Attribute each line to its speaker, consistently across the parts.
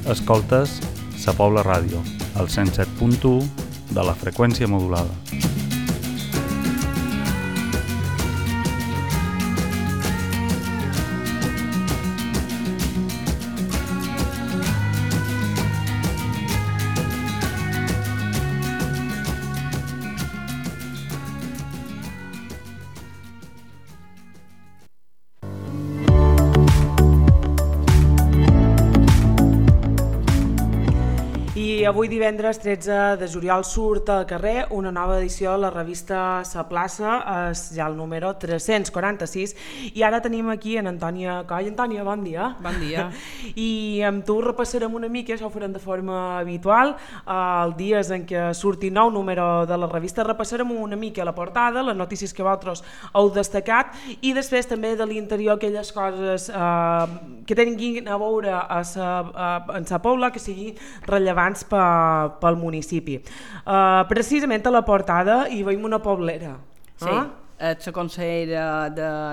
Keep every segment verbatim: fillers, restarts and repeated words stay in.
Speaker 1: Escoltes Sa Pobla Ràdio, al cent set punt u de la freqüència modulada.
Speaker 2: Avui divendres tretze de juliol surt al carrer una nova edició de la revista Sa Plaça, és ja el número tres-cents quaranta-sis, i ara tenim aquí en Antònia Coll. Antònia, bon dia.
Speaker 3: Bon dia.
Speaker 2: I amb tu repassarem una mica, això ho farem de forma habitual, els dies en què surti nou número de la revista, repassarem una mica la portada, les notícies que vosaltres heu destacat, i després també de l'interior aquelles coses eh, que tinguin a veure a sa, a, en Sa Pobla, que siguin rellevants per pel municipi. Uh, precisament a la portada hi veiem una poblera.
Speaker 3: Sí, eh? És la consellera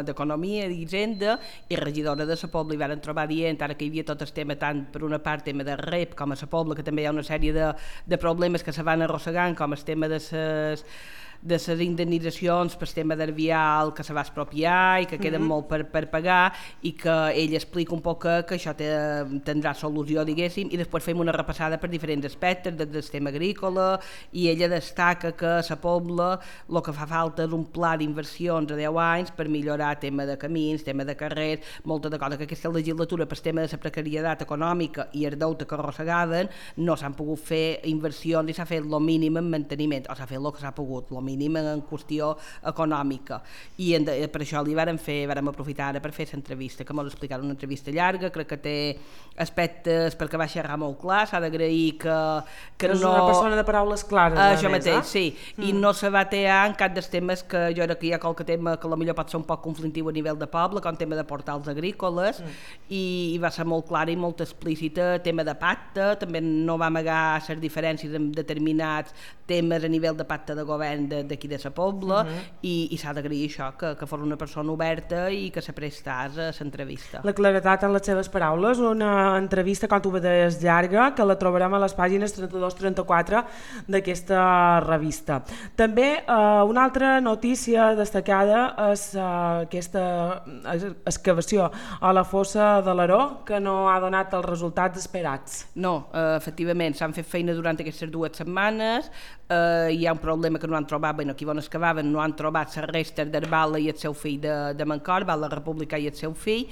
Speaker 3: d'Economia i d'Hisenda i regidora de Sa Pobla, i van trobar dient ara que hi havia tot el tema, tant per una part tema de rep com a Sa Pobla, que també hi ha una sèrie de, de problemes que se van arrossegant, com el tema de les de les indemnitzacions per tema d'Arbial que se va expropiar i que queden mm-hmm. molt per, per pagar, i que ell explica un poc que, que això té, tindrà solució, diguéssim, i després fem una repassada per diferents aspectes del, del tema agrícola, i ella destaca que a Sa Pobla el que fa falta és un pla d'inversions a deu anys per millorar tema de camins, tema de carrers, molta de coses que aquesta legislatura per tema de la precarietat econòmica i el deute que arrossegaven no s'han pogut fer inversions i s'ha fet el mínim en manteniment, o s'ha fet el que s'ha pogut, el mínim en qüestió econòmica, i en de, per això li vàrem fer, vàrem aprofitar ara per fer l'entrevista, que ens explicaran una entrevista llarga, crec que té aspectes perquè va xerrar molt clar, s'ha d'agrair que, que
Speaker 2: és
Speaker 3: no...
Speaker 2: una persona de paraules clares.
Speaker 3: Uh, això mateix,
Speaker 2: eh?
Speaker 3: sí, mm. i no se va tear en cap dels temes que jo crec que hi ha qualque tema que potser pot ser un poc conflictiu a nivell de poble, com tema de portals agrícoles, mm. i, i va ser molt clara i molt explícita, tema de pacte, també no va amagar les diferències en determinats temes a nivell de pacte de govern de, d'aquí de Sa Pobla, uh-huh. i, i s'ha d'agrair això, que, que fos una persona oberta i que se prestàs a l'entrevista.
Speaker 2: La claretat en les seves paraules, una entrevista, com tu veies, llarga, que la trobarem a les pàgines trenta-dos trenta-quatre d'aquesta revista. També eh, una altra notícia destacada és eh, aquesta excavació a la fossa de l'Aró, que no ha donat els resultats esperats.
Speaker 3: No, eh, efectivament, s'han fet feina durant aquestes dues setmanes, eh, hi ha un problema que no han trobat, bueno, aquí on excavaven no han trobat les restes d'Arbala i el seu fill de, de Mancor, Val la República i el seu fill,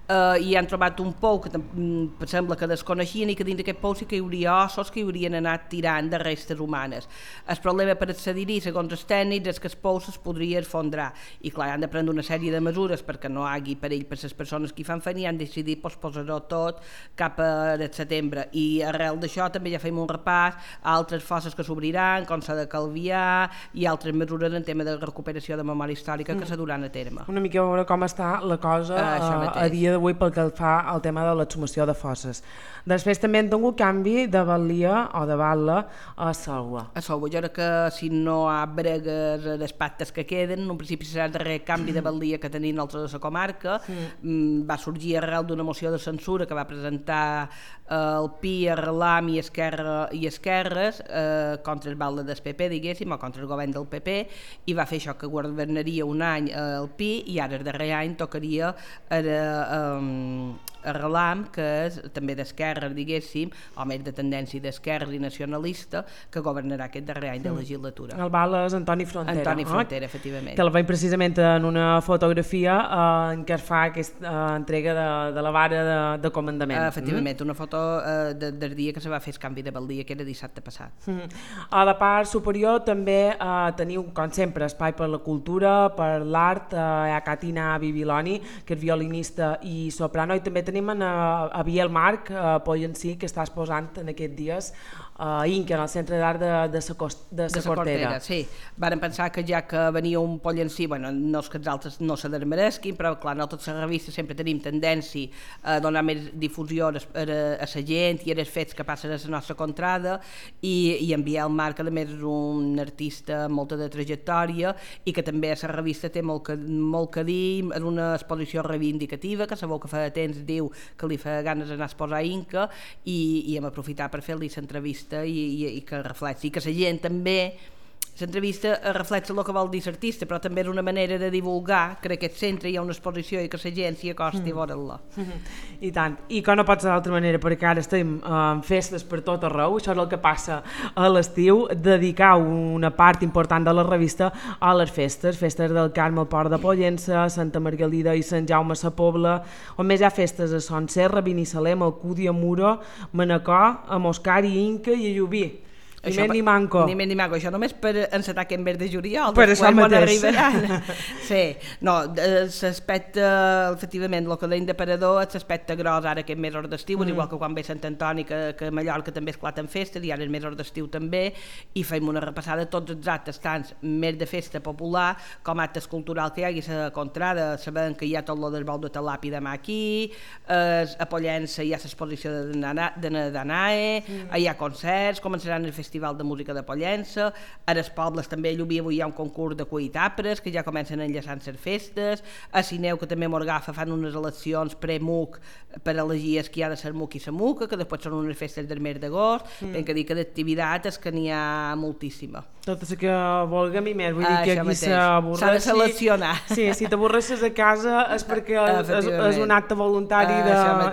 Speaker 3: eh, i han trobat un pou que mm, sembla que desconeixien, i que dins d'aquest pou sí que hi hauria ossos que hi haurien anat tirant de restes humanes. El problema per accedir-hi, segons els tècnics, és que el pou es podria esfondrar, i clar, han de prendre una sèrie de mesures perquè no hi hagi perill per les persones que hi fan feina, i han decidit posposar-ho tot cap a setembre, i arrel d'això també ja fem un repàs a altres fosses que s'obriran, com la de Calvià, i altres mesures en tema de recuperació de memòria històrica que mm. se duran a terme.
Speaker 2: Una mica a veure com està la cosa uh, a dia d'avui pel que fa al tema de l'exhumació de fosses. Després també han tingut canvi de Balia o de Batla a Salva.
Speaker 3: A Salva, jo crec que si no hi ha bregues les pactes que queden, en un principi serà el darrer canvi de Balia que tenim nosaltres a la comarca. Mm. Va sorgir arrel d'una moció de censura que va presentar eh, el P I, Arrelam i Esquerra i Esquerres eh, contra el Batla del P P, diguéssim, o contra el govern del P P, i va fer això que governaria un any el P I, i ara el darrer any tocaria el, um, Arrelam, que és també d'esquerra, diguéssim, o més de tendència d'esquerra i nacionalista, que governarà aquest darrer any de legislatura.
Speaker 2: El Val és Antoni Frontera.
Speaker 3: Antoni Frontera,
Speaker 2: eh?
Speaker 3: efectivament.
Speaker 2: Que el veiem precisament en una fotografia eh, en què es fa aquesta eh, entrega de, de la vara de, de comandament.
Speaker 3: Uh, efectivament, mm? una foto uh, de, del dia que se va fer el canvi de Baldia, que era dissabte passat.
Speaker 2: Mm. A la part superior també eh, teniu, com sempre, espai per la cultura, per l'art, eh, hi ha Catina Bibiloni, que és violinista i soprano, i també tenim en, a, a Biel Marc, eh, Poyencí, que està exposant en aquests dies a Inca, en el Centre d'Art de, de, sa cost, de, sa
Speaker 3: de sa
Speaker 2: Cortera.
Speaker 3: Cortera. Sí, varen pensar que ja que venia un pollencí, bueno, no és que els altres no se desmeresquin, però clar, nosaltres a la revista sempre tenim tendència a donar més difusió a, a, a la gent i als fets que passen a la nostra contrada, i, i en Biel Marc, a més, és un artista amb molta de trajectòria i que també a la revista té molt que, molt que dir, és una exposició reivindicativa que sabeu que fa temps diu que li fa ganes d'anar a exposar a Inca, i, i hem aprofitat per fer-li l'entrevista i, i, i que reflexi, i que la gent també l'entrevista reflexa el que vol dir l'artista, però també és una manera de divulgar que en aquest centre hi ha una exposició i que la gent s'hi acosti mm. a veure-la.
Speaker 2: Mm-hmm. I tant, i que no pot ser d'altra manera, perquè ara estem en festes per tot arreu, això és el que passa a l'estiu, dedicar una part important de la revista a les festes, festes del Carme al Port de Pollença, Santa Margalida i Sant Jaume a la Pobla, on més hi ha festes a Son Serra, Binissalem, Alcúdia, Muro, Manacor, a Moscar i Inca i a Llubí. Ni més ni manco.
Speaker 3: Ni més ni manco, això només per encetar aquest mes de juliol,
Speaker 2: per això mateix.
Speaker 3: Sí, no, l'aspecte, efectivament, el que deim d'aparador és l'aspecte gros ara aquest mes hora d'estiu, mm. igual que quan ve Sant Antoni, que, que a Mallorca també esclaten festes, i ara és més hora d'estiu també, i fem una repassada de tots els actes, tant més de festa popular com actes culturals que hi hagi a la contrada, sabent que hi ha tot el del bou de Talapi demà aquí, eh, a Pollença hi ha l'exposició de, de, de Danae, mm. hi ha concerts, començaran el festival de música de Pollença, a les pobles també a Llubí avui hi ha un concurs de cuitapres que ja comencen enllaçant les festes, a Sineu que també m'orgafa fan unes eleccions pre-M U C per elegir el que hi ha de ser M U C i la M U C, que després són unes festes del mes d'agost, mm. hem que dir que d'activitat és que n'hi ha moltíssima.
Speaker 2: Tot el que vulguem i més, vull dir que aquí s'avorressi...
Speaker 3: S'ha de seleccionar.
Speaker 2: Sí, si t'avorresses a casa és perquè és, és un acte voluntari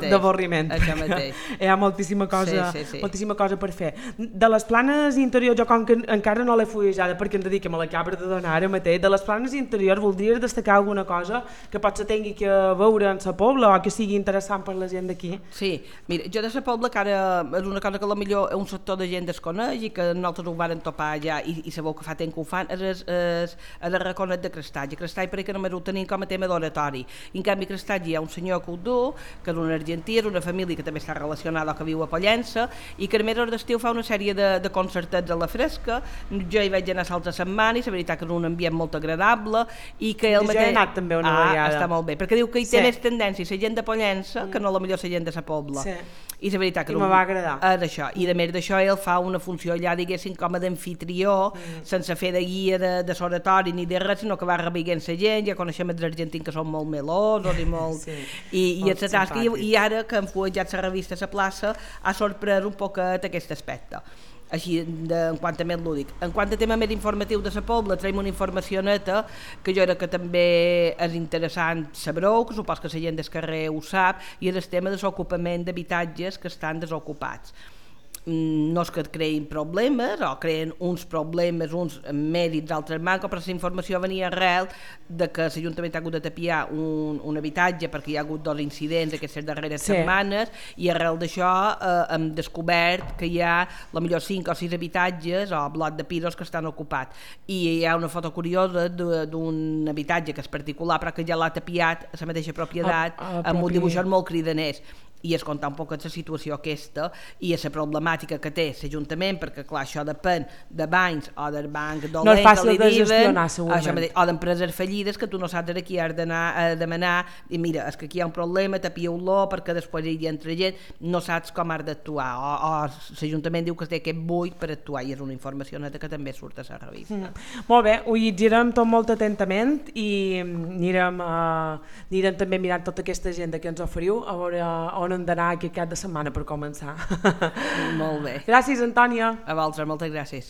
Speaker 2: d'avorriment.
Speaker 3: Això mateix.
Speaker 2: Hi ha moltíssima cosa,
Speaker 3: sí, sí, sí.
Speaker 2: moltíssima cosa per fer. De les planes interiors, jo com que encara no l'he fullejada perquè ens dediquem a la cabra de donar ara mateix, de les planes interiors voldries destacar alguna cosa que potser tingui que veure en la Pobla o que sigui interessant per la gent d'aquí?
Speaker 3: Sí, mira, jo de la Pobla, que ara és una cosa que potser un sector de gent desconeix i que nosaltres ho vàrem topar ja i, i sabeu que fa temps que ho fan, és, és, és el Raconet de Crestatge. Crestatge perquè només ho tenim com a tema d'oratori. En canvi, Crestatge hi ha un senyor que ho du, que és un argentí, és una família que també està relacionada o que viu a Pollença i que a més d'estiu fa una sèrie de, de concertets a la fresca. Jo hi vaig anar l'altra setmana i la veritat que és un ambient molt agradable i que el
Speaker 2: mateix... Jo he anat també una
Speaker 3: ah,
Speaker 2: vegada.
Speaker 3: Està molt bé, perquè diu que hi té
Speaker 2: sí.
Speaker 3: més tendència la gent de Pollença mm. que no la millor la gent de la Pobla.
Speaker 2: Sí.
Speaker 3: I la veritat que
Speaker 2: I
Speaker 3: no,
Speaker 2: me va agradar.
Speaker 3: És això. I a més d'això ell fa una funció allà, diguéssim, com a d'anfitrió, mm. sense fer de guia de, de l'oratori ni de res, sinó que va rebiguent la gent, ja coneixem els argentins que són molt melosos i molt...
Speaker 2: sí.
Speaker 3: I, i, molt tasca, i, i ara que hem fuejat la revista a la plaça ha sorprès un poquet aquest aspecte. Així, de, en quant a més lúdic. En quant a tema més informatiu de la Pobla, traiem una informació neta que jo crec que també és interessant saber-ho, que supos que la gent del carrer ho sap, i és el tema de l'ocupament d'habitatges que estan desocupats. No és que et creïn problemes o creen uns problemes, uns mèrits, altres manco, però la informació venia arrel de que l'Ajuntament ha hagut de tapiar un, un habitatge perquè hi ha hagut dos incidents aquestes darreres sí. setmanes i arrel d'això eh, hem descobert que hi ha potser cinc o sis habitatges o bloc de pisos que estan ocupats i hi ha una foto curiosa d'un habitatge que és particular però que ja l'ha tapiat a la mateixa propietat a, a amb un dibuixos molt cridaners i es contar un poc la situació aquesta i la problemàtica que té l'Ajuntament, perquè clar, això depèn de bancs o del banc dolent
Speaker 2: no és fàcil
Speaker 3: que li
Speaker 2: de
Speaker 3: diuen,
Speaker 2: gestionar, segurament.
Speaker 3: això, o d'empreses fallides que tu no saps aquí has d'anar a demanar i mira, és que aquí hi ha un problema, tapieu-lo perquè després hi entra gent, no saps com has d'actuar, o, o l'Ajuntament diu que té aquest buit per actuar i és una informació neta que també surt a la revista.
Speaker 2: Mm. Molt bé, ho llegirem tot molt atentament i anirem, uh, anirem també mirant tota aquesta agenda que ens oferiu a veure on hem d'anar aquest cap de setmana per començar.
Speaker 3: Molt bé.
Speaker 2: Gràcies, Antònia.
Speaker 3: A vosaltres, moltes gràcies.